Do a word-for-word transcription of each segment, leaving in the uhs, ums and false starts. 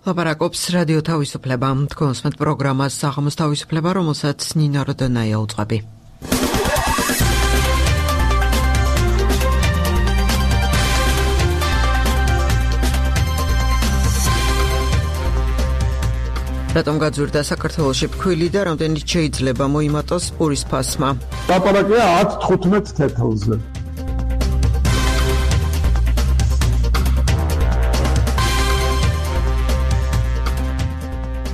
ლაპარაკობს რადიო თავისუფლება. თქვენს მეტ პროგრამას საღამოს თავისუფლება, რომელსაც ნინო როდონაია უძღვები. რატომ გაძვირდა საქართველოში ფქვილი და რამდენიც შეიძლება მოიმატოს პურის ფასმა? ლაპარაკია ათ თხუთმეტ თეთრზე.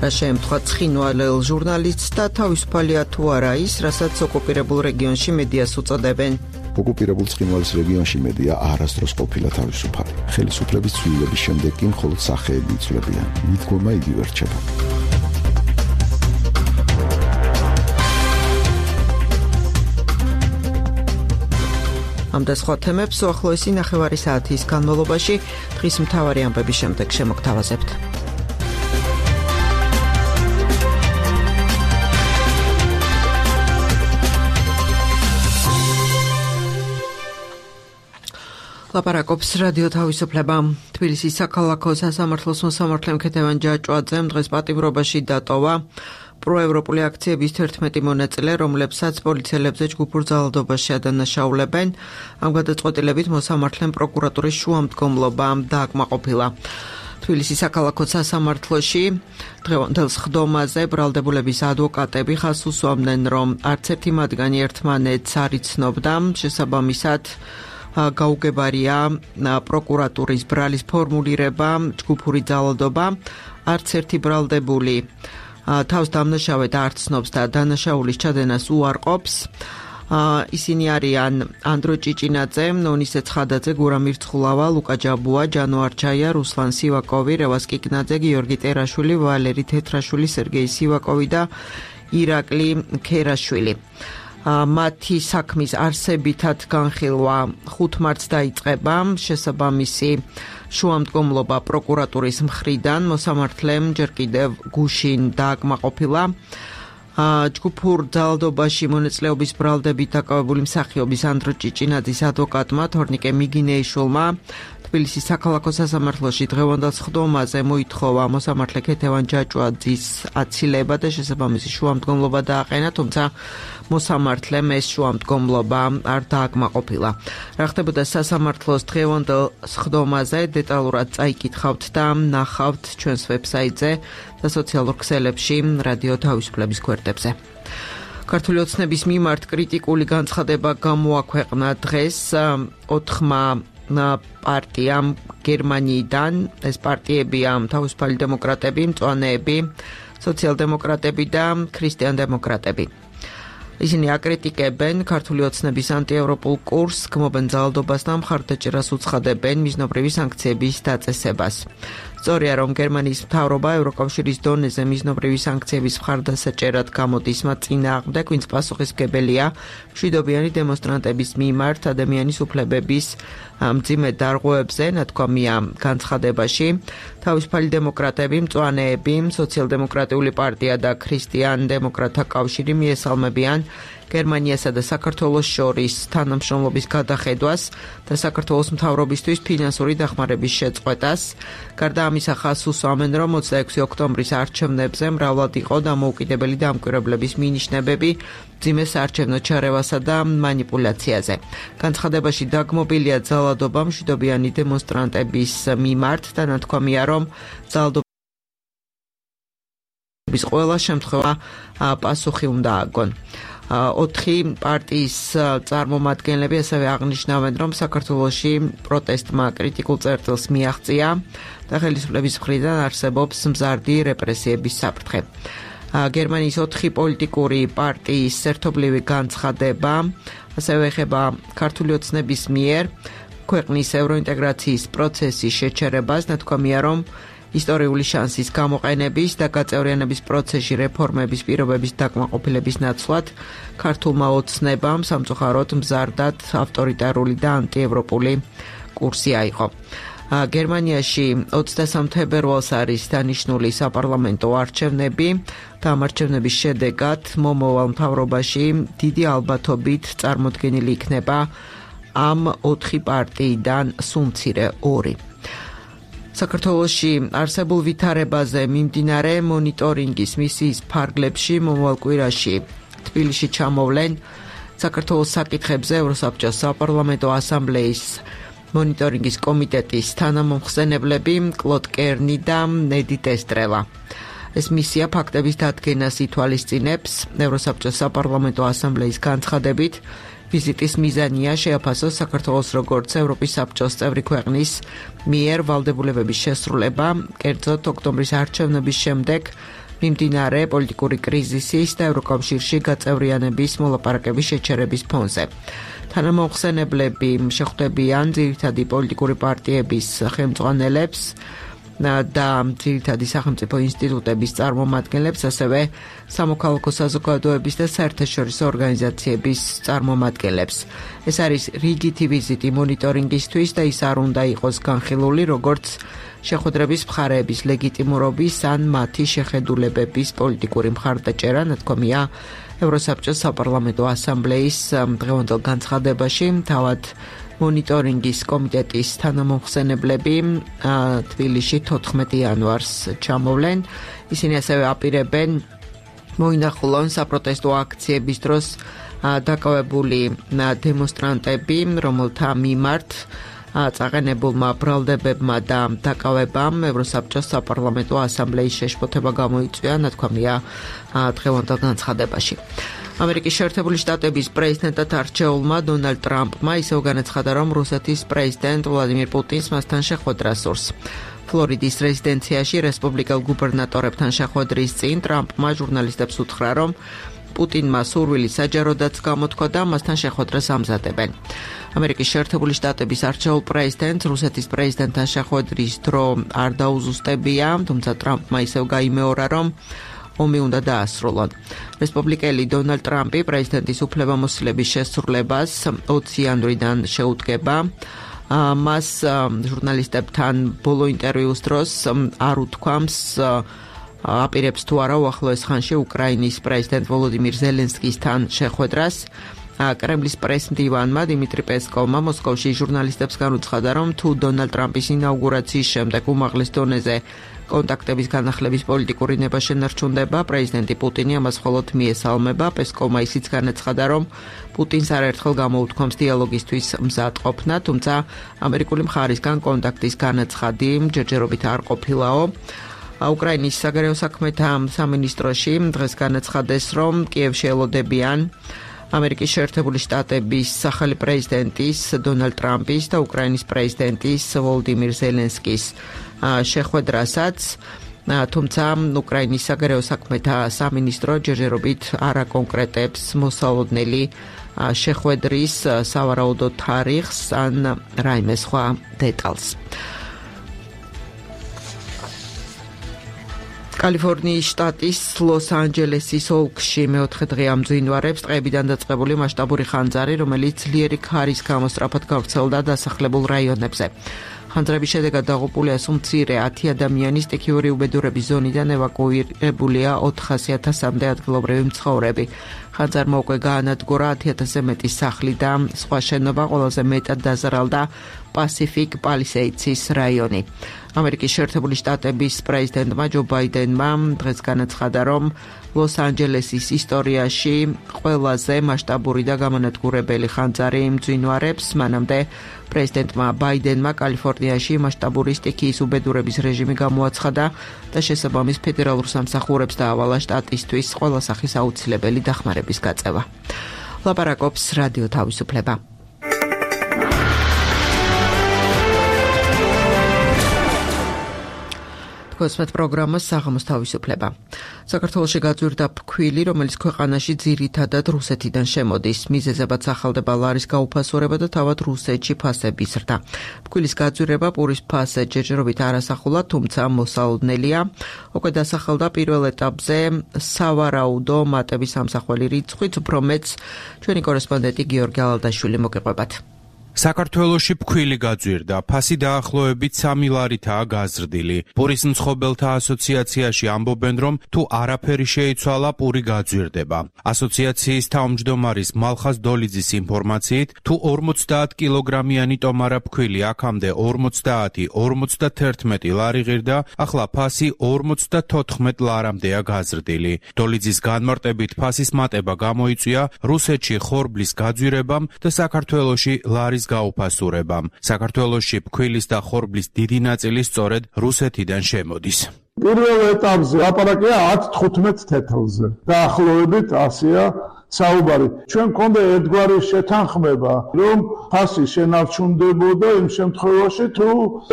შემთხვევა ცხინვალელ ჟურნალისტს და თავისუფალია თუ არა ის, რასაც ოკუპირებულ რეგიონში მედიას უწოდებენ. ოკუპირებულ ცხინვალის რეგიონში მედია არასდროს ყოფილა თავისუფალი. ხელისუფლების ცვლილების შემდეგ კი მხოლოდ სახეები იცვლებიან. მიდგომა იგივე რჩება. ამ და სხვა თემებს უახლოესი ნახევარი საათის განმავლობაში დღის მთავარი ამბების შემდეგ შემოგთავაზებთ. ლაპარაკობს რადიო თავისუფლება. თბილისის საქალაქო სასამართლოს მოსამართლემ ქეთევან ჯაჭვაძემ დღეს პატიმრობაში დატოვა პროევროპული აქციების თერთმეტი მონაწილე, რომლებსაც პოლიციელებზე ჯგუფურ ძალადობაში ადანაშაულებენ. ამ გადაწყვეტილებით მოსამართლემ პროკურატურის შუამდგომლობა დააკმაყოფილა. თბილისის საქალაქო სასამართლოში დღევანდელ სხდომაზე ბრალდებულების ადვოკატები ხაზს უსვამდნენ, რომ არც ერთი მათგანი ერთმანეთს არ იცნობდა, შესაბამისად გაუგებარია პროკურატურის ბრალის ფორმულირება, ჯგუფური ძალადობა, არც ერთი ბრალდებული თავს დამნაშავედ არ ცნობს და დანაშაულის ჩადენას უარყოფს. ისინი არიან ანდრო ჭიჭინაძე, ნონისე ცხადაძე, გურამ ირცხულავა, ლუკა ჯაბუა, ჯანო არჩაია, რუსლან სივაკოვი, რევას კიკნაძე, გიორგი ტერაშვილი, ვალერი თეთრაშვილი, სერგეი სივაკოვი და ირაკლი ქერაშვილი. მათი საქმის არსებითად განხილვა ხუთ მარტს დაიწყება. შესაბამისი შუამდგომლობა პროკურატურის მხრიდან მოსამართლემ ჯერ კიდევ გუშინ დააკმაყოფილა. ჯგუფურ ძალადობაში მონაწილეობის ბრალდებით დაკავებული მსახიობის ანდრო ჭიჭინაძის ადვოკატმა თორნიკე მიგინეიშვილმა თბილისის საქალაქო სასამართლოში დღევანდელ სხდომაზე მოითხოვა მოსამართლე ქეთევან ჯაჭვაძის აცილება და შესაბამისი შუამდგომლობა დააყენა, თუმცა მოსამართლემ ეს შუამდგომლობა არ დააკმაყოფილა. რა ხდებოდა სასამართლოს დღევანდელ სხდომაზე დეტალურად წაიკითხავთ და ნახავთ ჩვენს ვებსაიტზე და სოციალურ ქსელებში რადიო თავისუფლების გვერდებზე. ქართული ოცნების მიმართ კრიტიკული განცხადება გამოაქვეყნა დღეს ოთხმა პარტიამ გერმანიიდან. ეს პარტიებია თავისუფალი დემოკრატები, მწვანეები, სოციალ-დემოკრატები და ქრისტიან-დემოკრატები. ისინი აკრიტიკებენ ქართული ოცნების ანტიევროპულ კურსს, გმობენ ძალადობას და მხარდაჭერას უცხადებენ მიზნობრივი სანქციების დაწესებას. სწორია, რომ გერმანიის მთავრობა ევროკავშირის დონეზე მიზნობრივი სანქციების მხარდასაჭერად გამოდის მათ წინააღმდეგ, ვინც პასუხისმგებელია მშვიდობიანი დემონსტრანტების მიმართ ადამიანის უფლებების მძიმე დარღვევებზე, ნათქვამია განცხადებაში. თავისუფალი დემოკრატები, მწვანეები, სოციალ-დემოკრატიული პარტია და ქრისტიან-დემოკრატთა კავშირი მიესალმებიან გერმანიასა და საქართველოს შორის თანამშრომლობის გადახედვას და საქართველოს მთავრობისთვის ფინანსური დახმარების შეწყვეტას. გარდა ამისა ხაზს უსვამენ, რომ ოცდაექვსი ოქტომბრის არჩევნებზე მრავლად იყო დამოუკიდებელი დამკვირვებლების მინიშნებები მძიმე საარჩევნო ჩარევასა და მანიპულაციაზე. განცხადებაში დაგმობილია ძალადობა მშვიდობიანი დემონსტრანტების მიმართ და ნათქვამია, რომ ძალადობის ყველა შემთხვევა პასუხი უნდა აგონ. ოთხი პარტიის წარმომადგენლები ასევე აღნიშნავენ, რომ საქართველოში პროტესტმა კრიტიკულ წერტილს მიაღწია და ხელისუფლების მხრიდან არსებობს მზარდი რეპრესიების საფრთხე. გერმანიის ოთხი პოლიტიკური პარტიის ერთობლივი განცხადება ასევე ეხება ქართული ოცნების მიერ ქვეყნის ევროინტეგრაციის პროცესის შეჩერებას, ნათქვამია, რომ ისტორიული შანსის გამოყენების და გაწევრიანების პროცესში რეფორმების პირობების დაკმაყოფილების ნაცვლად ქართულმა ოცნებამ სამწუხაროდ მზარდად ავტორიტარული და ანტიევროპული კურსი აიღო. გერმანიაში ოცდასამ თებერვალს არის დანიშნული საპარლამენტო არჩევნები და ამ არჩევნების შედეგად მომავალ მთავრობაში დიდი ალბათობით წარმოდგენილი იქნება ამ ოთხი პარტიიდან სულ მცირე ორი. საქართველოში არსებულ ვითარებაზე მიმდინარე მონიტორინგის მისიის ფარგლებში მომავალ კვირაში თბილისში ჩამოვლენ საქართველოს საკითხებზე ევროსაბჭოს საპარლამენტო ასამბლეის მონიტორინგის კომიტეტის თანამომხსენებლები კლოდ კერნი და ნედი ტესტრელა. ეს მისია ფაქტების დადგენას ითვალისწინებს. ევროსაბჭოს საპარლამენტო ასამბლეის განცხადებით ვიზიტის მიზანია შეაფასოს საქართველოს როგორც ევროპის საბჭოს წევრი ქვეყნის მიერ ვალდებულებების შესრულება, კერძოდ ოქტომბრის არჩევნების შემდეგ მიმდინარე პოლიტიკური კრიზისის და ევროკავშირში გაწევრიანების მოლაპარაკების შეჩერების ფონზე. თანამომხსენებლები შეხვდებიან ძირითადი პოლიტიკური პარტიების ხელმძღვანელებს და ძირითადი სახელმწიფო ინსტიტუტების წარმომადგენლებს, ასევე სამოქალაქო საზოგადოების და საერთაშორისო ორგანიზაციების წარმომადგენლებს. ეს არის რიგითი ვიზიტი მონიტორინგისთვის და ის არ უნდა იყოს განხილული როგორც შეხვედრების მხარეების ლეგიტიმურობის ან მათი შეხედულებების პოლიტიკური მხარდაჭერა, ნათქვამია ევროსაბჭოს საპარლამენტო ასამბლეის დღევანდელ განცხადებაში. თავად მონიტორინგის კომიტეტის თანამომხსენებლები თბილისში თოთხმეტი იანვარს ჩამოვლენ. ისინი ასევე აპირებენ მოინახულონ საპროტესტო აქციების დროს დაკავებული დემონსტრანტები, რომელთა მიმართ წაყენებულმა ბრალდებებმა და დაკავებამ ევროსაბჭოს საპარლამენტო ასამბლეის შეშფოთება გამოიწვია, ნათქვამია დღევანდელ განცხადებაში. ამერიკის შეერთებული შტატების პრეზიდენტად არჩეულმა დონალდ ტრამპმა ისევ განაცხადა, რომ რუსეთის პრეზიდენტ ვლადიმირ პუტინს მასთან შეხვედრა სურს. ფლორიდის რეზიდენციაში რესპუბლიკელ გუბერნატორებთან შეხვედრის წინ ტრამპმა ჟურნალისტებს უთხრა, რომ პუტინმა სურვილი საჯაროდაც გამოთქვა და მასთან შეხვედრას ამზადებენ. ამერიკის შეერთებული შტატების არჩეულ პრეზიდენტს რუსეთის პრეზიდენტთან შეხვედრის დრო არ დაუზუსტებია, თუმცა ტრამპმა ისევ გაიმეორა, რომ ომი უნდა დაასრულონ. რესპუბლიკელი დონალდ ტრამპი პრეზიდენტის უფლებამოსილების შესრულებას ოცი იანვრიდან შეუდგება. მას ჟურნალისტებთან ბოლო ინტერვიუს დროს არ უთქვამს აპირებს თუ არა უახლოეს ხანში უკრაინის პრეზიდენტ ვოლოდიმირ ზელენსკისთან შეხვედრას. კრემლის პრეს-მდივანმა დიმიტრი პესკოვმა მოსკოვში ჟურნალისტებს განუცხადა, რომ თუ დონალდ ტრამპის ინაუგურაციის შემდეგ უმაღლეს დონეზე კონტაქტების განახლების პოლიტიკური ნება შენარჩუნდება, პრეზიდენტი პუტინი ამას მხოლოდ მიესალმება. პესკოვმა ისიც განაცხადა, რომ პუტინს არაერთხელ გამოუთქვამს დიალოგისთვის მზადყოფნა, თუმცა ამერიკული მხარისგან კონტაქტის განაცხადი ჯერჯერობით არ ყოფილაო. უკრაინის საგარეო საქმეთა სამინისტროში დღეს განაცხადეს, რომ კიევში ელოდებიან ამერიკის შეერთებული შტატების სახალი პრეზიდენტის დონალდ ტრამპის და უკრაინის პრეზიდენტის ვოლოდიმირ ზელენსკის შეხვედრასაც, თუმცა უკრაინის საგარეო საქმეთა სამინისტრო ჯერჯერობით არ აკონკრეტებს მოსალოდნელი შეხვედრის სავარაუდო თარიღს ან რაიმე სხვა დეტალს. კალიფორნიის შტატის ლოს-ანჯელესის ოლქში მეოთხე დღე ამძვინვარებს ტყეებიდან დაწყებული მასშტაბური ხანძარი, რომელიც ძლიერი ქარის გამო სწრაფად გავრცელდა დასახლებულ რაიონებზე. ხანძრების შედეგად დაღუპულია სულ მცირე ათი ადამიანის, სტიქიური უბედურების ზონიდან ევაკუირებულია ოთხასი ათასამდე ადგილობრივი მცხოვრები. ხანძარმა უკვე გაანადგურა ათი ათასზე მეტი სახლი და სხვა შენობა, ყველაზე მეტად დაზარალდა პასიფიკ პალისეიდსის რაიონი. ამერიკის შეერთებული შტატების პრეზიდენტმა ჯო ბაიდენმა დღეს განაცხადა, რომ ლოს-ანჯელესის ისტორიაში ყველაზე მასშტაბური და გამანადგურებელი ხანძარი მძვინვარებს. მანამდე პრეზიდენტმა ბაიდენმა კალიფორნიაში მასშტაბური სტიქიის უბედურების რეჟიმი გამოაცხადა და შესაბამის ფედერალურ სამსახურებს დაავალა შტატისთვის ყველა სახის აუცილებელი დახმარების გაწევა. ლაპარაკობს რადიო თავისუფლება. ოსმეთ პროგრამა საღამოს თავისუფლება. საქართველოში გაძვირდა ფქვილი, რომელიც ქვეყანაში ძირითადად რუსეთიდან შემოდის. მიზეზებად სახელდება ლარის გაუფასურება და თავად რუსეთში ფასების ზრდა. ფქვილის გაძვირება პურის ფასზე ჯერჯერობით არასახულა, თუმცა მოსალოდნელია. უკვე დასახელდა პირველ ეტაპზე სავარაუდო მატების ამსახველი რიცხვით, უფრო მეტს ჩვენი კორესპონდენტი გიორგი ალალდაშვილი მოგიყვებათ. საქართველოში ფქვილი გაძვირდა, ფასი დაახლოებით სამი ლარითაა გაზრდილი. პურის მცხოვრებელთა ასოციაციაში ამბობენ, რომ თუ არაფერი შეიცვალა, პური გაძვირდება. ასოციაციის თავმჯდომარის მალხაზ დოლიძის ინფორმაციით, თუ ორმოცდაათ კილოგრამიანი ტომარა ფქვილი აქამდე ორმოცდაათი ორმოცდათერთმეტი ლარი ღირდა, ახლა ფასი ორმოცდათოთხმეტ ლარამდეა გაზრდილი. დოლიძის განმარტებით ფასის მატება გამოიწვია რუსეთში ხორბლის გაძვირებამ და საქართველოში ლარის გაუფასურებამ. საქართველოში ფქვილის და ხორბლის დიდი ნაწილი სწორედ რუსეთიდან შემოდის. პირველ ეტაპზე ლაპარაკია ათ თხუთმეტ თეთრზე. დაახლოებით ასეა საუბარი. ჩვენ გქონდა ერთგვარი შეთანხმება, რომ ფასი შენარჩუნდებოდა იმ შემთხვევაში, თუ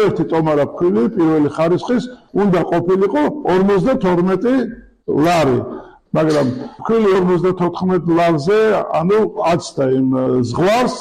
ერთი ტომარა ფქვილი პირველი ხარისხის უნდა ყოფილიყო ორმოცდათორმეტი ლარი. მაგრამ ფქვილი ორმოცდათოთხმეტ ლარზე, ანუ აცდა იმ ზღვარს,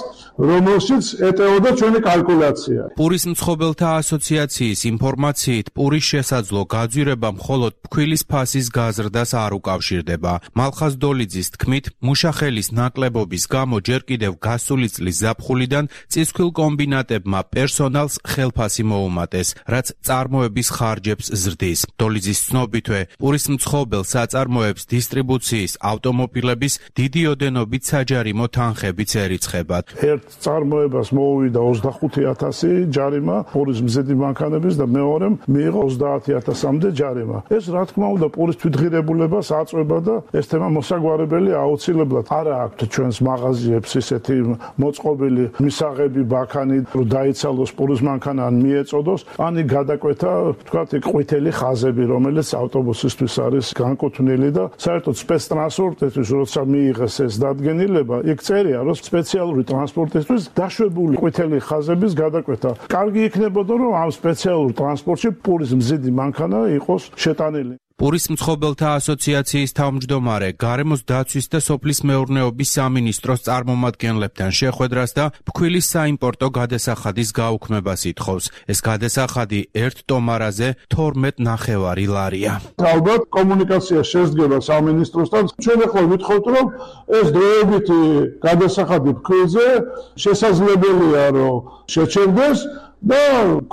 რომელშიც ეტეოდა ჩვენი კალკულაცია. პურის მცხოვრებელთა ასოციაციის ინფორმაციით, პურის შესაძლო გაძვირება მხოლოდ ფქვილის ფასის გაზრდას არ უკავშირდება. მალხაზ დოლიძის თქმით, მუშახელის ნაკლებობის გამო ჯერ კიდევ გასული წლის ზაფხულიდან წისქვილ კომბინატებმა პერსონალს ხელფასი მოუმატეს, რაც წარმოების ხარჯებს ზრდის. დოლიძის ცნობითვე, პურის მცხოვრებელ საწარმოებს დისტრიბუციის ავტომობილების დიდი ოდენობით საჯარიმო თანხებიც ერიცხებათ. ერთ წარმოებას მოუვიდა ოცდახუთი ათასი ჯარიმა პურის მზედი მანქანების და მეორემ მიიღო ოცდაათი ათასამდე ჯარიმა. ეს რა თქმა უნდა პურის თვითღირებულებას აწვება და ეს თემა მოსაგვარებელი აუცილებლად არა აქვთ ჩვენს მაღაზიებს ისეთი მოწყობილი მისაღები ბაქანი რომ დაიცალოს პურის მანქანა ან მიეწოდოს, ანი გადაკვეთა თქვათ ყვითელი ხაზები, რომელიც ავტობუსისთვის არის განკუთვნილი და საერთოდ სპეცტრანსპორტისთვის როცა მიიღეს ეს დადგენილება, იქ წერია რომ სპეციალური ტრანსპორტისთვის დაშვებული ყვითელი ხაზების გადაკვეთა. კარგი იქნებოდა რომ ამ სპეციალურ ტრანსპორტში პურის მზიდი მანქანა იყოს შეტანილი. პურის მცხოვრებელთა ასოციაციის თავმჯდომარე გარემოს დაცვის და სოფლის მეურნეობის სამინისტროს წარმომადგენლებთან შეხვედრას და ფქვილის საიმპორტო გადასახადის გაუქმებას ითხოვს. ეს გადასახადი ერთ ტომარაზე თორმეტ ნახევარი ლარია. ალბათ კომუნიკაცია შესდგება სამინისტროსთან. ჩვენ ახლა ვითხოვთ რომ ეს დროებითი გადასახადი ფქვილზე შესაძლებელია რომ შეჩერდეს და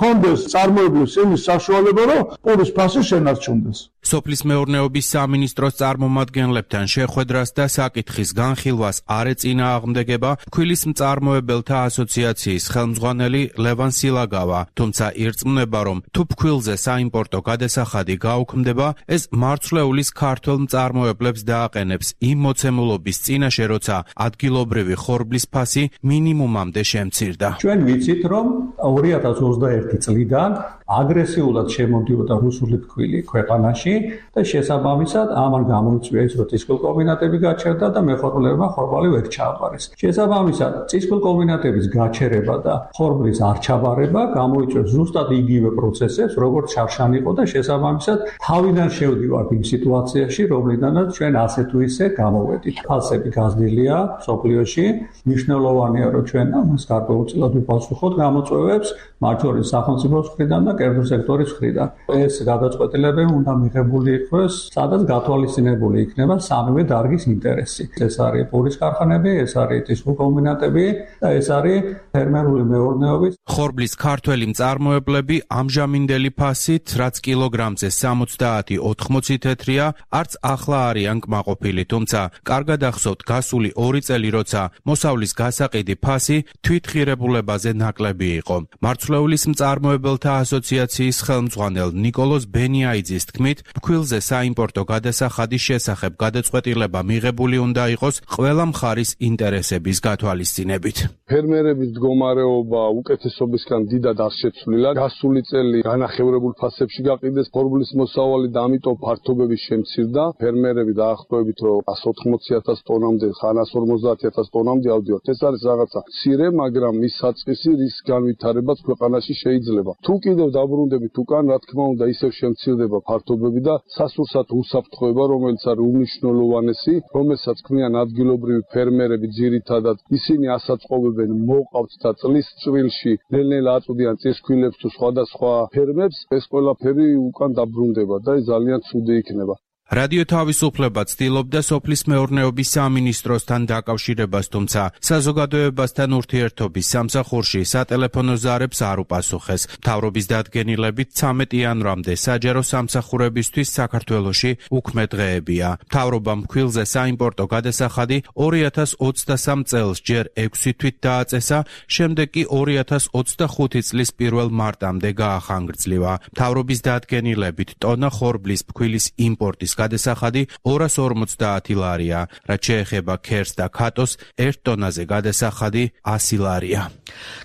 კონდეს წარმოებლის იმის საშუალება რომ პურის ფასი შენარჩუნდეს. სოფლის მეურნეობის სამინისტროს წარმომადგენლებთან შეხვედრას და საკითხის განხილვას არ ეწინააღმდეგება ფქვილის მწარმოებელთა ასოციაციის ხელმძღვანელი ლევან სილაგავა, თუმცა ირწმუნება რომ თუ ფქვილზე საიმპორტო გადასახადი გაუქმდება, ეს მარცვლეულის ქართველ მწარმოებლებს დააყენებს იმ მოცემულობის წინაშე, როცა ადგილობრივი ხორბლის ფასი მინიმუმამდე შემცირდა. ჩვენ ვიცით რომ ორი ათას ოცდაერთი წლიდან აგრესიულად შემოდიოდა რუსული ფქვილი ქვეყანაში და შესაბამისად ამან გამოიწვია ის რომ წისქვილ კომბინატები გაჩერდა და მეხორულებმა ხორბალი ვერ ჩააბარეს. შესაბამისად წისქვილ კომბინატების გაჩერება და ხორბლის არ ჩაბარება გამოიწვევს ზუსტად იგივე პროცესებს როგორც შარშან იყო და შესაბამისად თავიდან შევდივართ იმ სიტუაციაში რომლიდანაც ჩვენ ასე თუ ისე გამოვედით. ფასები გაზრდილია სოფლიოში, მნიშვნელოვანია რომ ჩვენ ამას გარკვეულწილად ვიპასუხოთ გამოწვევებს მათ შორის სახელმწიფოს მხრიდან და კერძო სექტორის მხრიდან. ეს გადაწყვეტილებები უნდა მიღებული იქნას, სადაც გათვალისწინებული იქნება სამივე დარგის ინტერესი. ეს არის პურის ქარხანები, ეს არის წისქვილ კომბინატები და ეს არის ფერმერული მეურნეობის. ხორბლის ქართველი მწარმოებლები ამჟამინდელი ფასით, რაც კილოგრამზე სამოცდაათი ოთხმოცი თეთრია, არც ახლა არიან კმაყოფილი, თუმცა კარგად ახსოვთ გასული ორი წელი, როცა მოსავლის გასაყიდი ფასი თვითღირებულებაზე ნაკლები იყო. მარცვლეულის მწარმოებელთა ასოციაციის ხელმძღვანელ ნიკოლოზ ბენიაიძის თქმით, ფქვილზე საიმპორტო გადასახადის შესახებ გადაწყვეტილება მიღებული უნდა იყოს ყველა მხარის ინტერესების გათვალისწინებით. ფერმერების მდგომარეობა უკეთესობისგან დიდად არ შეცვლილა. გასული წელი განახევრებულ ფასებში გაყიდეს ხორბლის მოსავალი და ამიტომ ფართობები შემცირდა. ფერმერები დაახლოებით რომ εκατს ოთხმოცი ათას ტონამდე, ხანას ორმოცდაათი ათას ტონამდე ავდივართ. ეს არის რაღაცა მცირე, მაგრამ მის საწყისი რის განვითარებაც ქვეყანაში შეიძლება. თუ კიდევ დაბრუნდებით უკან, რა თქმა უნდა, ისევ შემცირდება ფართობები და სასურსათ უსაფრთხოება, რომელიც არის უმნიშვნელოვანესი, რომელსაც ქმნიან ადგილობრივი ფერმერები ძირითადად. ისინი ასაწყობებენ მოყავთ და წლის წვრილში ნელ-ნელა აწვდიან წისქვილებს თუ სხვადასხვა ფერმებს, ეს ყველაფერი უკან დაბრუნდება და ეს ძალიან ცუდი იქნება. რადიო თავისუფლება ცდილობდა სოფლის მეურნეობის სამინისტროსთან დაკავშირებას, თუმცა საზოგადოებასთან ურთიერთობის სამსახურში სატელეფონო ზარებს არ უპასუხეს. მთავრობის დადგენილებით ცამეტ იანვრამდე საჯარო სამსახურებისთვის საქართველოში უქმე დღეებია. მთავრობამ მქვილზე საიმპორტო გადასახადი ორი ათას ოცდასამ წელს ჯერ ექვსი თვით დააწესა, შემდეგ კი ორი ათას ოცდახუთი წლის პირველ მარტამდე გაახანგრძლივა. მთავრობის დადგენილებით ტონა ხორბლის ფქვილის იმპორტის გადასახადი ორას ორმოცდაათი ლარია, რაც შეეხება ქერს და ქატოს ერთ ტონაზე გადასახადი ასი ლარია.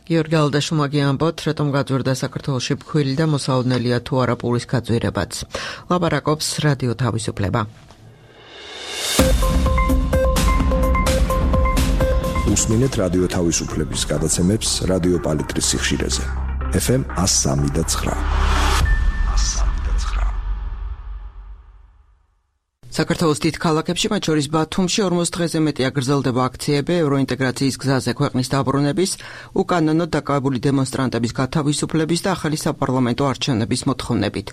გიორგი ალდაშუმა გიამბობთ, რატომ გაძვირდა საქართველოში ფქვილი და მოსაოდნელია თუ არა პურის გაძვირებაც. ლაპარაკობს რადიო თავისუფლება. უსმინეთ რადიო თავისუფლების გადაცემებს რადიო პალიტრის სიხშირეზე. ეფ ემ one oh three და nine. საქართველოს დიდ ქალაქებში, მათ შორის ბათუმში ორმოც დღეზე მეტია გრძელდება აქციები ევროინტეგრაციის გზაზე ქვეყნის დაბრუნების, უკანონო დაკავებული დემონსტრანტების გათავისუფლების და ახალი საპარლამენტო არჩევნების მოთხოვნებით.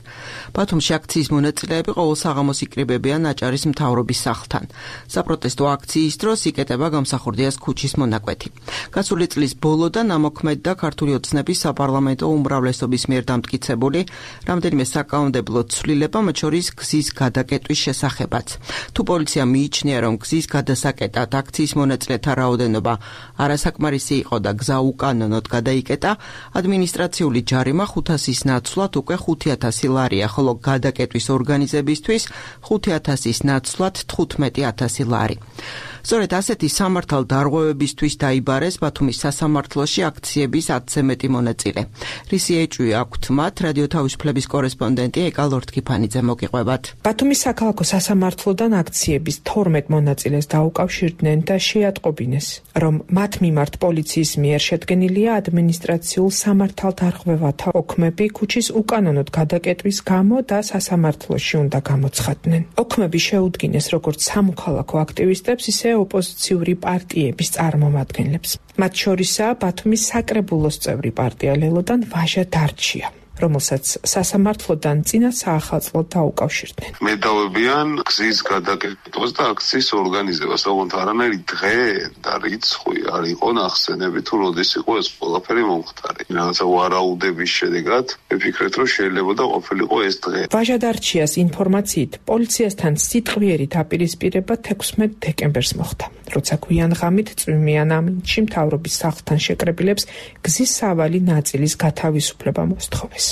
ბათუმში აქციის მონაწილეები ყოველ საღამოს იკრიბებიან აჭარის მთავრობის სახლთან. საპროტესტო აქციის დროს იკეტება გამსახურდიას ქუჩის მონაკვეთი. გასული წლის ბოლოდან ამოქმედდა ქართული ოცნების საპარლამენტო უმრავლესობის მიერ დამტკიცებული რამდენიმე საკანონმდებლო ცვლილება, მათ შორის გზის გადაკეტვის შესახებ. თუ პოლიცია მიიჩნია, რომ გზის გადასაკეტად აქციის მონაწილეთა რაოდენობა არასაკმარისი იყო და გზა უკანონოდ გადაიკეტა, ადმინისტრაციული ჯარიმა ხუთასის ნაცვლად უკვე ხუთი ათასი ლარია, ხოლო გადაკეტვის ორგანიზებისთვის ხუთი ათასის ნაცვლად თხუთმეტი ათასი ლარი. სწორედ ასეთი სამართალ დარღვევებისთვის დაიბარეს ბათუმის სასამართლოში აქციების ათზე მეტი მონაწილე. რისი ეჭვი აქვთ მათ, რადიო თავისუფლების კორესპონდენტი ეკა ლორთქიფანიძე მოგიყვებათ. ბათუმის საქალაქო სასამართლოდან აქციების თორმეტ მონაწილეს დაუკავშირდნენ და შეატყობინეს, რომ მათ მიმართ პოლიციის მიერ შედგენილია ადმინისტრაციულ სამართალ დარღვევათა ოქმები ქუჩის უკანონოდ გადაკეტვის გამო და სასამართლოში უნდა გამოცხადდნენ. ოქმები შეუდგინეს როგორც სამოქალაქო აქტივისტებს, ისე ოპოზიციური პარტიების წარმომადგენლებს. მათ შორისაა ბათუმის საკრებულოს წევრი პარტია ლელოდან ვაჟა დარჩია, რომელსაც სასამართლოდან წინა საახალწლოდ დაუკავშირდნენ. მედავებიან გზის გადაკეთებას და აქციის ორგანიზებას, ოღონდ არანაირი დღე და რიცხვი არ იყო ნახსენები, თუ როდის იყო ეს ყველაფერი მომხდარი. რაღაცა ვარაუდების შედეგად ვიფიქრეთ, რომ შეიძლება და ყოფილიყო ეს დღე. ვაჟა დარჩიას ინფორმაციით პოლიციასთან სიტყვიერი დაპირისპირება თექვსმეტ დეკემბერს მოხდა, როცა გვიან ღამით წვიმიან ამინდში მთავრობის სახლთან შეკრებილებს გზის სავალი ნაწილის გათავისუფლება მოსთხოვეს.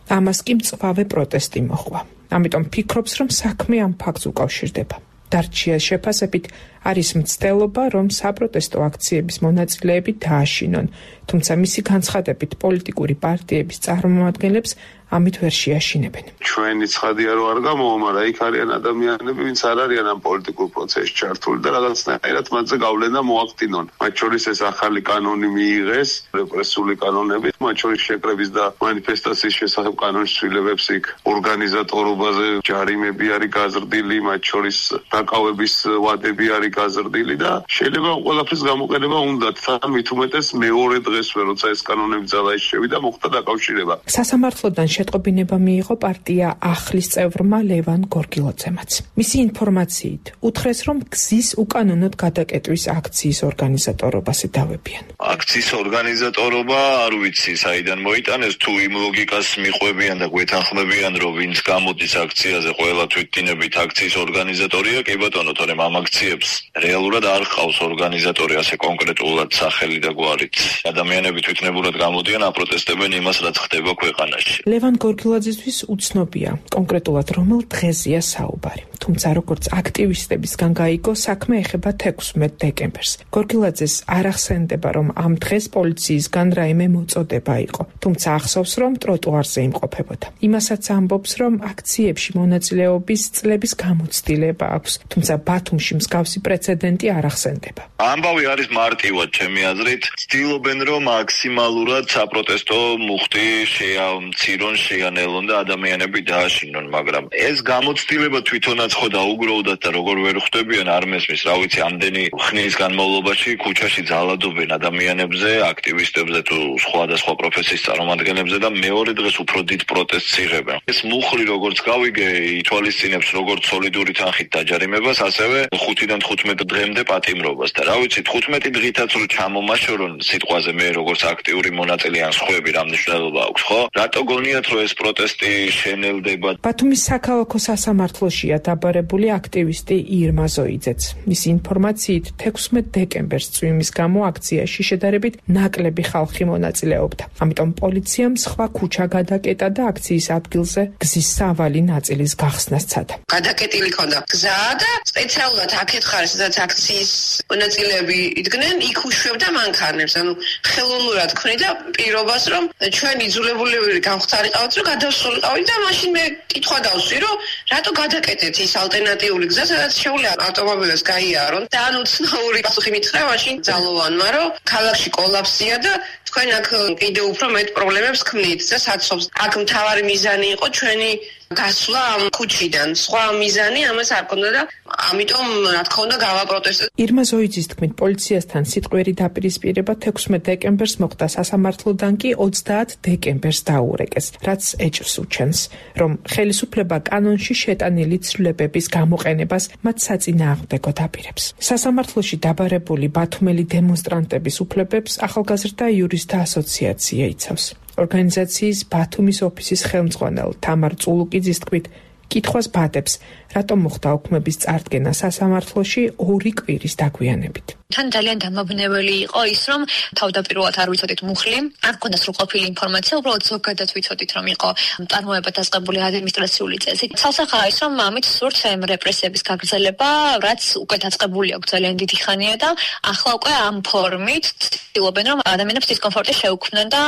ამას კი მწვავე პროტესტი მოჰყვა. ამიტომ ფიქრობს, რომ საქმე ამ ფაქტს უკავშირდება. დარჩიას შეფასებით არის მცდელობა, რომ საპროტესტო აქციების მონაწილეები დააშინონ, თუმცა მისი განცხადებით პოლიტიკური პარტიების წარმომადგენლებს ამით ვერ შეაშინებენ. ჩვენი ცხადია რომ არ გამოვა, მაგრამ იქ არიან ადამიანები, ვინც არ არიან ამ პოლიტიკურ პროცესში ჩართული და რაღაცნაირად მათზე გავლენა მოახდინონ. მათ შორის ეს ახალი კანონი მიიღეს, რეპრესიული კანონები, მათ შორის შეკრების და მანიფესტაციის შესახებ კანონის ცვლილებებს იქ ორგანიზატორობაზე ჯარიმები არის გაზრდილი, მათ შორის დაკავების ვადები არის გაზრდილი და შეიძლება ყველაფრის გამოყენება უნდათ, თან მით უმეტეს მეორე დღესვე, როცა ეს კანონები ძალაში შევიდა, მოხდა დაკავშირება. სასამართლოდან შეტყობინება მიიღო პარტია ახლის წევრმა ლევან გორგილოძემაც. მისი ინფორმაციით უთხრეს, რომ გზის უკანონოდ გადაკეტვის აქციის ორგანიზატორობას ედავებიან. აქციის ორგანიზატორობა არ ვიცი საიდან მოიტანეს, თუ იმ ლოგიკას მიყვებიან და გვეთანხმებიან, რომ ვინც გამოდის აქციაზე ყველა თვითდინებით აქციის ორგანიზატორია, კი ბატონო, თორემ ამ აქციებს რეალურად არ ყავს ორგანიზატორი ასე კონკრეტულად სახელი და გვარით. ადამიანები თვითნებურად გამოდიან, აპროტესტებენ იმას, რაც ხდება ქვეყანაში. ლევან გორგილაძისთვის უცნობია კონკრეტულად რომელ დღეზეა საუბარი. თუმცა როგორც აქტივისტებისგან გაიგო, საქმე ეხება თექვსმეტ დეკემბერს. გორგილაძეს არ ახსენდება, რომ ამ დღეს პოლიციისგან რაიმე მოწოდება იყო, თუმცა ახსოვს, რომ ტროტუარზე იმყოფებოდა. იმასაც ამბობს, რომ აქციებში მონაწილეობის წლების გამოცდილება აქვს, თუმცა ბათუმში მსგავსი პრეცედენტი არ ახსენდება. ამბავი არის მარტივად ჩემი აზრით, ცდილობენ, რომ მაქსიმალურად საპროტესტო მუხტი შეამცირონ, რეგიონში ან ელონდა ადამიანები დააშინონ, მაგრამ ეს გამოცდილება თვითონაც ხო დაუგროვდათ და როგორ ვერ ხვდებიან არ მესმის, რა ვიცი, ამდენი ხნის განმავლობაში ქუჩაში ძალადობენ ადამიანებზე, აქტივისტებზე თუ სხვადასხვა პროფესიის წარმომადგენლებზე და მეორე დღეს უფრო დიდ პროტესტს იღებენ. ეს მუხლი როგორც გავიგე, ითვალისწინებს როგორც სოლიდური თანხით დაჯარიმებას, ასევე ხუთიდან თხუთმეტ დღემდე პატიმრობას და რა ვიცი, თხუთმეტი დღითაც რო ჩამომაშორონ სიტყვაზე მე როგორც აქტიური მონაწილე ან სხვები რა მნიშვნელობა აქვს, ხო? რატო გონიათ რომ ეს პროტესტი შენელდება? ბათუმის საქალაქო სასამართლოშია დაბარებული აქტივისტი ირმა ზოიძეც. მისი ინფორმაციით თექვსმეტ დეკემბერს წვიმის გამო აქციაში შედარებით ნაკლები ხალხი მონაწილეობდა. ამიტომ პოლიციამ სხვა ქუჩა გადაკეტა და აქციის ადგილზე გზის სავალი ნაწილის გახსნას სცადა. გადაკეტილი ქონდა გზა და სპეციალურად აქეთ ხარ, სადაც აქციის მონაწილეები იდგნენ, იქ უშვებდა მანქანებს. ანუ ხელოვნურად ქმნიდა პირობას, რომ ჩვენ იძულებულები გავხსარიყავთ, რომ გადავსულიყავით და მაშინ მე კითხვა დავსვი, რომ რატო გადაკეტეთ ის ალტერნატიული გზა, სადაც შეუძლია ავტომობილებს გაიარონ და ანუ ცნაური პასუხი მითხრა მაშინ ძალოვანმა, რომ ქალაქში კოლაფსია და თქვენ აქ კიდევ უფრო მეტ პრობლემებს ქმნით და საცობს. აქ მთავარი მიზანი იყო ჩვენი გასვლა ამ ქუჩიდან. სხვა მიზანი ამას არ ქონდა და ამიტომ რა თქმა უნდა გავაპროტესტეთ. ირმა ზოიძის თქმით, პოლიციასთან სიტყვიერი დაპირისპირება თექვსმეტ დეკემბერს მოხდა, სასამართლოდან კი ოცდაათ დეკემბერს დაურეკეს, რაც ეჭვს უჩენს, რომ ხელისუფლება კანონში შეტანილი ცვლილებების გამოყენებას მათ საწინააღმდეგოდ აპირებს. სასამართლოში დაბარებული ბათუმელი დემონსტრანტების უფლებებს ახალგაზრდა იურისტთა ასოციაცია იცავს. ორგანიზაციის ბათუმის ოფისის ხელმძღვანელ თამარ წულუკიძის თქმით, კითხვას ბადებს, რატომ მოხდა უქმების წარდგენა სასამართლოში ორი კვირის დაგვიანებით. თან ძალიან დამაბნეველი იყო ის, რომ თავდაპირველად არ ვიცოდით მუხლი, არ გქონდა სრულყოფილი ინფორმაცია, უბრალოდ ზოგადად ვიცოდით, რომ იყო წარმოება დაწყებული ადმინისტრაციული წესით. ცალსახაა ის, რომ ამით სურთ ამ რეპრესიების გაგრძელება, რაც უკვე დაწყებული აქვს ძალიან დიდი ხანია და ახლა უკვე ამ ფორმით ცდილობენ, რომ ადამიანებს დისკომფორტი შეუქმნან და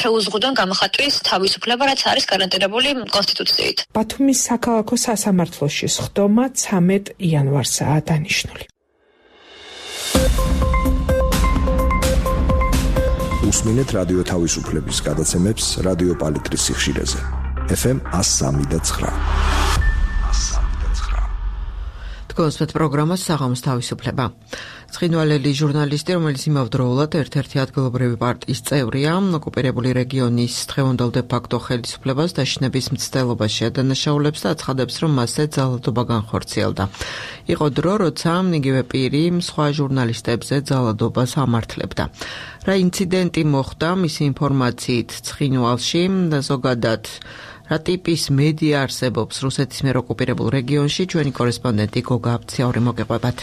შეუზღუდონ გამოხატვის თავისუფლება, რაც არის გარანტირებული კონსტიტუციით. ბათუმის საქალაქო სასამართლოში სხდომა ცამეტ იანვარსაა დანიშნული. უსმინეთ რადიო თავისუფლების გადაცემებს რადიო პალიტრის სიხშირეზე. ეფ ემ one oh three და nine. თქვენს პროგრამას საღამოს თავისუფლება. ცხინვალელი ჟურნალისტი, რომელიც იმავდროულად ერთ-ერთი ადგილობრივი პარტიის წევრია, ოკუპირებული რეგიონის დღევანდელ დე ფაქტო ხელისუფლებას დაშინების მცდელობაში ადანაშაულებს და აცხადებს, რომ მასზე ძალადობა განხორციელდა. იყო დრო, როცა იგივე პირი სხვა ჟურნალისტებზე ძალადობას ამართლებდა. რა ინციდენტი მოხდა მისი ინფორმაციით ცხინვალში და ზოგადად რა ტიპის მედია არსებობს რუსეთის მიერ ოკუპირებულ რეგიონში, ჩვენი კორესპონდენტი გოგა აბციური მოგეყვებათ.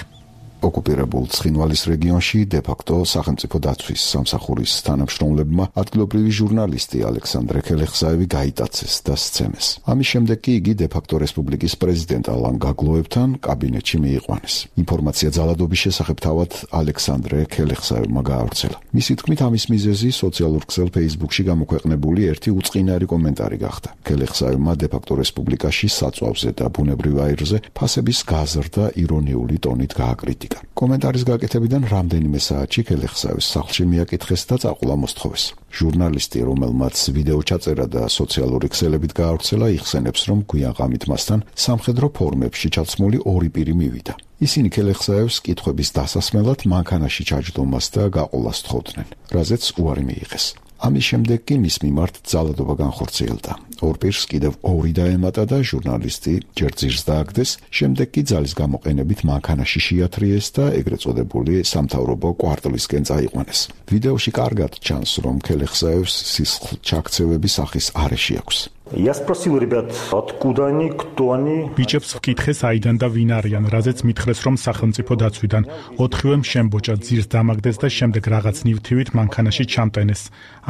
ოკუპირებულ ცხინვალის რეგიონში დე-ფაქტო სახელმწიფო დაცვის სამსახურის თანამშრომლებმა ადგილობრივი ჟურნალისტი ალექსანდრე ქელეხსაევი გაიტაცეს და სცემეს. ამის შემდეგ კი იგი დე-ფაქტო რესპუბლიკის პრეზიდენტ ალან გაგლოევთან კაბინეტში მიიყვანეს. ინფორმაცია ძალადობის შესახებ თავად ალექსანდრე ქელეხსაევმა გაავრცელა. მისი თქმით, ამის მიზეზი სოციალურ ქსელ Facebook-ში გამოქვეყნებული ერთი უწყინარი კომენტარი გახდა. ქელეხსაევმა დე-ფაქტო რესპუბლიკაში საწვავზე და ბუნებრივ აირზე ფასების გაზრდა ირონიული ტონით გააკრიტიკა. კომენტარის გაკეთებიდან რამდენიმე საათში ქელეხსაევის სახლში მიაკითხეს და წაყულა მოსთხოვეს. ჟურნალისტი, რომელმაც ვიდეო ჩაწერა და სოციალური ქსელებით გაავრცელა, იხსენებს, რომ გვიან ღამით მასთან სამხედრო ფორმებში ჩაცმული ორი პირი მივიდა. ისინი ქელეხსაევს კითხვების დასასმელად მანქანაში ჩაჯდომას და გაყოლას თხოვდნენ, რაზეც უარი მიიღეს. ამის შემდეგ კი მის მიმართ ძალადობა განხორციელდა. ორ პირს კიდევ ორი დაემატა და ჟურნალისტი ჯერ ძირს დააგდეს, შემდეგ კი ძალის გამოყენებით მანქანაში შეათრიეს და ეგრეთ წოდებული სამთავრობო კვარტლისკენ წაიყვანეს. ვიდეოში კარგად ჩანს, რომ ქელეხსაევს სისხლჩაქცევების სახის არეში აქვს. Я спросил ребят, откуда они, кто они? ბიჭებს ვკითხე საიდან და ვინ არიან, რაზეც მითხრეს, რომ სახელმწიფო დაცვიდან. ოთხივემ შემბოჭა, ძირს დამაგდეს და შემდეგ რაღაც ნივთივით მანქანაში ჩამტენეს.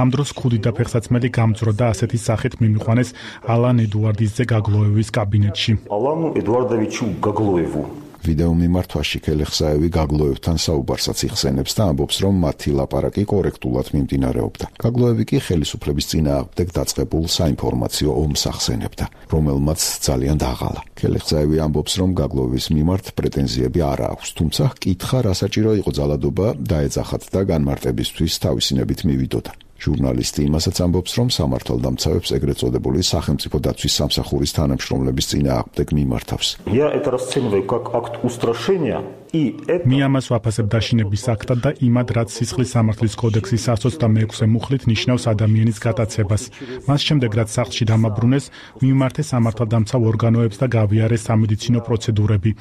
ამ დროს ქუდი და ფეხსაცმელი გამძრო და ასეთი სახით მიმიყვანეს ალან ედუარდიძე გაგლოევის კაბინეტში. ალანუ ედუარდოვიჩუ გაგლოევუ. ვიდეო მიმართვაში ქელეხსაევი გაგლოევთან საუბარსაც იხსენებს და ამბობს, რომ მათი ლაპარაკი კორექტულად მიმდინარეობდა. გაგლოევი კი ხელისუფლების წინააღმდეგ დაწყებულ საინფორმაციო ომს ახსენებდა, რომელმაც ძალიან დაღალა. ქელეხსაევი ამბობს, რომ გაგლოევის მიმართ პრეტენზიები არ აქვს, თუმცა კითხა, რა საჭირო იყო ძალადობა დაეძახათ და განმარტებისთვის თავისინებით მივიდოდა. ჟურნალისტი იმასაც ამბობს, რომ სამართალდამცავებს ეგრეთ წოდებული სახელმწიფო დაცვის სამსახურის თანამშრომლების წინააღმდეგ მიმართავს. Я это расцениваю как акт устрашения. მე ამას ვაფასებ დაშინების აქტად და იმად, რაც სისხლის სამართლის კოდექსის one twenty-six მუხლით ნიშნავს ადამიანის გატაცებას. მას შემდეგ, რაც სახლში დამაბრუნეს, მიმართეს სამართალდამცავ ორგანოებს და გავიარეს სამედიცინო პროცედურები.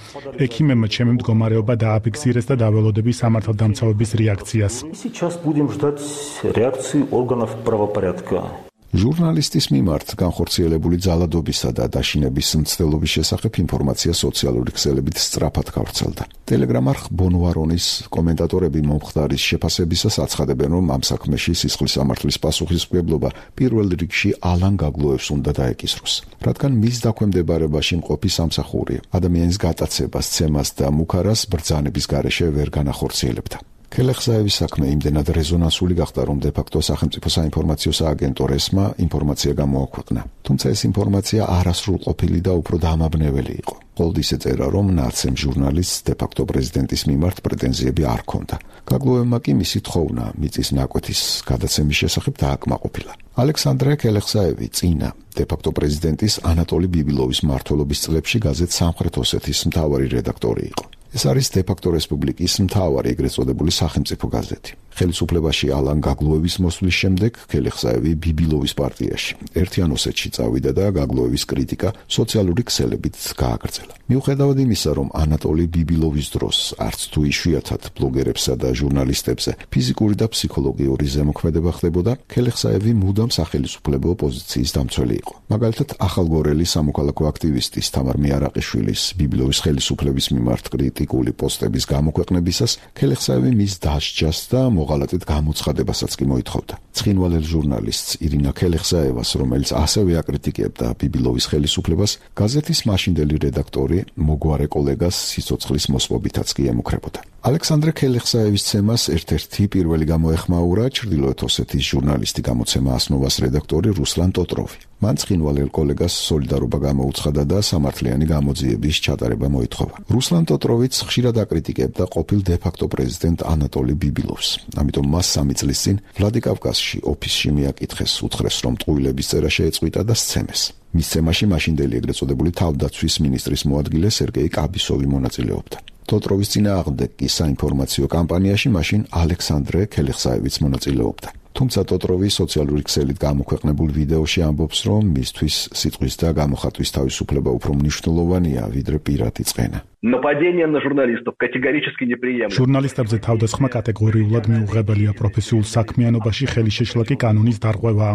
ექიმებმა ჩემი მდგომარეობა დააფიქსირეს და დაველოდები სამართალდამცავების რეაქციას. Сейчас будем ждать реакции органов правопорядка. ჟურნალისტის მიმართ განხორციელებული ძალადობისა და დაშინების მცდელობის შესახებ ინფორმაცია სოციალური ქსელებით სწრაფად გავრცელდა. Telegram არხ ბონვარონის კომენტატორები მომხდარის შეფასებისას აცხადებენ, რომ ამ საქმეში სისხლის სამართლის პასუხისმგებლობა პირველ რიგში ალან გაგლოევს უნდა დაეკისროს, რადგან მის დაქვემდებარებაში მყოფი სამსახური ადამიანის გატაცებას, ცემას და მუქარას ბრძანების გარეშე ვერ განახორციელებდა. ქელეხსაევის საქმე იმდენად რეზონანსული გახდა, რომ დე-ფაქტო სახელმწიფო საინფორმაციო სააგენტო რესმა ინფორმაცია გამოაქვეყნა. თუმცა ეს ინფორმაცია არასრულყოფილი და უფრო დამაბნეველი იყო. მხოლოდ ისე წერა, რომ ნაცემ ჟურნალისტს დე-ფაქტო პრეზიდენტის მიმართ პრეტენზიები არ ჰქონდა. გაგლოევმა კი მისი თხოვნა მიწის ნაკვეთის გადაცემის შესახებ დააკმაყოფილა. ალექსანდრე ქელეხსაევი წინა დე-ფაქტო პრეზიდენტის ანატოლი ბიბილოვის მმართველობის წლებში გაზეთ სამხრეთ ოსეთის მთავარი რედაქტორი იყო. ეს არის დე-ფაქტო რესპუბლიკის მთავარი ეგრეთ წოდებული სახელმწიფო გაზეთი. ხელისუფლებაში ალან გაგლოევის მოსვლის შემდეგ ქელეხსაევი ბიბილოვის პარტიაში ერთიან ოსეთში წავიდა და გაგლოევის კრიტიკა სოციალური ქსელებით გააგრძელა. მიუხედავად იმისა, რომ ანატოლი ბიბილოვის დროს არც თუ იშვიათად ბლოგერებსა და ჟურნალისტებზე ფიზიკური და ფსიქოლოგიური ზემოქმედება ხდებოდა, ქელეხსაევი მუდამ სახელისუფლებო პოზიციის დამცველი იყო. მაგალითად, ახალგორელი სამოქალაქო აქტივისტის თამარ მიარაყიშვილის ბიბილოვის ხელისუფლების მიმართ კრიტიკული პოსტების გამოქვეყნებისას ქელეხსაევი მის დასჯას და მოღალატედ გამოცხადებასაც კი მოითხოვდა. ცხინვალელ ჟურნალისტს ირინა ქელეხსაევას, რომელიც ასევე აკრიტიკებდა ბიბილოვის ხელისუფლებას, გაზეთის მაშინდელი რედაქტორი მოგვარე კოლეგას სიცოცხლის მოსპობითაც კი ემუქრებოდა. ალექსანდრე ქელეხსაევის ცემას ერთ-ერთი პირველი გამოეხმაურა ჩრდილოეთ ოსეთის ჟურნალისტი გამოცემა ასნოვას რედაქტორი რუსლან ტოტროვი. მან ცხინვალელ კოლეგას სოლიდარობა გამოუცხადა და სამართლიანი გამოძიების ჩატარება მოითხოვა. რუსლან ტოტროვიც ხშირად აკრიტიკებდა ყოფილ დე-ფაქტო პრეზიდენტ ანატოლი ბიბილოვს. ამიტომ მას სამი წლის წინ ვლადიკავკაზში ოფისში მიაკითხეს, უთხრეს, რომ ტყუილების წერა შეეწყვიტა და სცემეს. მის ცემაში მაშინდელი ეგრეთ წოდებული თავდაცვის მინისტრის მოადგილე სერგეი კაბისოვი მონაწილეობდა. ტოტროვის წინააღმდეგ კი საინფორმაციო კამპანიაში მაშინ ალექსანდრე ქელეხსაევიც მონაწილეობდა. თუმცა ტოტროვი სოციალური ქსელით გამოქვეყნებულ ვიდეოში ამბობს, რომ მისთვის სიტყვის და გამოხატვის თავისუფლება უფრო მნიშვნელოვანია, ვიდრე პირადი წყენა. Нападение на журналистов категорически неприемлемо. ჟურნალისტებზე თავდასხმა კატეგორიულად მიუღებელია პროფესიულ საქმიანობაში ხელი შეშლა კი კანონის დარღვევაა.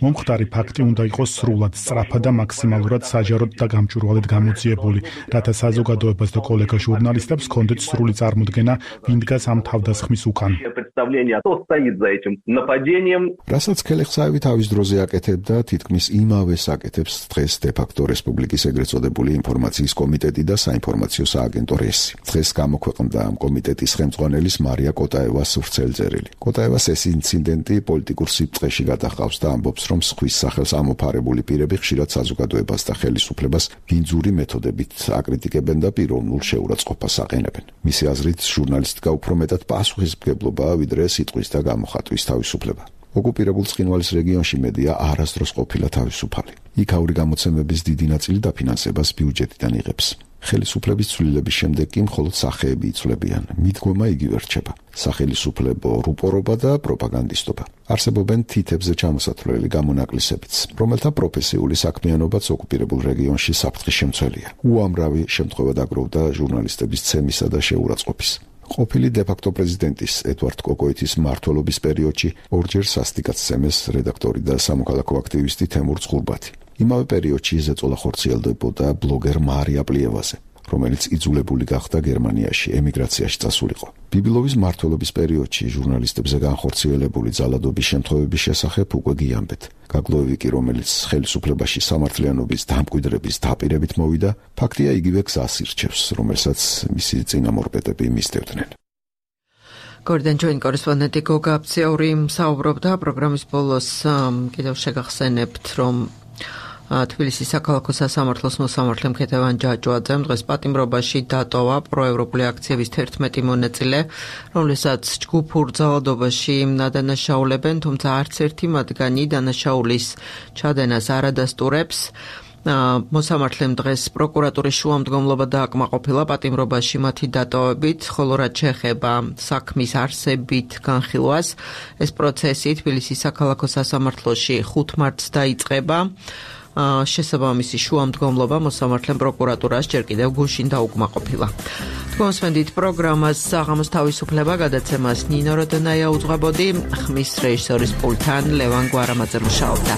მომხდარი ფაქტი უნდა იყოს სრულად, სწრაფად და მაქსიმალურად საჯაროდ და გამჭვირვალედ გამოძიებული, რათა საზოგადოებას და კოლეგა ჟურნალისტებს ჰქონდეთ სრული წარმოდგენა, ვინ დგას ამ თავდასხმის უკან. რასაც ქელეხსაევი თავის დროზე აკეთებდა, თითქმის იმავეს აკეთებს დღეს დე-ფაქტო რესპუბლიკის ეგრეთ წოდებული ინფორმაციის კომიტეტი და საინფორმაციო სააგენტო რესი. დღეს გამოქვეყნდა ამ კომიტეტის ხელმძღვანელის მარია კოტაევას ვრცელწერილი. კოტაევას ეს ინციდენტი პოლიტიკურ სიბრტყეში გადაჰყავს და ამბობს, რომ სხვის სახელს ამოფარებული პირები ხშირად საზოგადოებას და ხელისუფლებას ბინძური მეთოდებით აკრიტიკებენ და პიროვნულ შეურაცხყოფას აყენებენ. მისი აზრით, ჟურნალისტიკა უფრო მეტად პასუხისმგებლობაა, ვიდრე სიტყვის და გამოხატვის თავისუფლება. ოკუპირებულ ცხინვალის რეგიონში მედია არასდროს ყოფილა თავისუფალი. იქაური გამოცემების დიდი ნაწილი დაფინანსებას ბიუჯეტიდან იღებს. ხელისუფლების ცვლილების შემდეგ კი მხოლოდ სახეები იცვლებიან. მიდგომა იგივე რჩება. სახელისუფლებო რუპორობა და პროპაგანდისტობა. არსებობენ თითებზე ჩამოსათვლელი გამონაკლისებიც, რომელთა პროფესიული საქმიანობაც ოკუპირებულ რეგიონში საფრთხის შემცველია. უამრავი შემთხვევა დაგროვდა ჟურნალისტების ცემისა და შეურაცხყოფის. ყოფილი დე-ფაქტო პრეზიდენტის ედვარდ კოკოიტის მმართველობის პერიოდში ორჯერ სასტიკად სცემეს რედაქტორი და სამოქალაქო აქტივისტი თემურ ცხურბათი. იმავე პერიოდში ზეწოლა ხორციელდებოდა ბლოგერ მარია პლიევაზე, რომელიც იძულებული გახდა გერმანიაში ემიგრაციაში წასულიყო. ბიბილოვის მმართველობის პერიოდში ჟურნალისტებზე განხორციელებული ძალადობის შემთხვევების შესახებ უკვე გიამბეთ. გაგლოევი კი, რომელიც ხელისუფლებაში სამართლიანობის დამკვიდრების დაპირებით მოვიდა, ფაქტია იგივე გზას ირჩევს, რომელსაც მისი წინამორბედები მისდევდნენ. გორდან ჯოინ კორესპონდენტი გოგა აფციური მსაუბრობდა პროგრამის ბოლოს კიდევ შეგახსენებთ, რომ თბილისის საქალაქო სასამართლოს მოსამართლე მქეთევან ჯაჯვაძემ დღეს პატიმრობაში დატოვა პროევროპული აქციების თერთმეტი მონაწილე, რომლებსაც ჯგუფურ ძალადობაში დანაშაულებენ, თუმცა არც ერთი მათგანი დანაშაულის ჩადენას არ ადასტურებს. მოსამართლემ დღეს პროკურატურის შუამდგომლობა დააკმაყოფილა პატიმრობაში მათი დატოვებით, ხოლო რაც შეეხება საქმის არსებით განხილვას, ეს პროცესი თბილისის საქალაქო სასამართლოში ხუთ მარტს დაიწყება. შესაბამისი შუამდგომლობა მოსამართლემ პროკურატურას ჯერ კიდევ გუშინ დაუკმაყოფილა. თქვენსმენდით პროგრამას საღამოს თავისუფლება გადაცემას ნინო როდონაია უძღვებოდი, ხმის რეჟისორის პულტთან ლევან გვარამაძე მუშაობდა.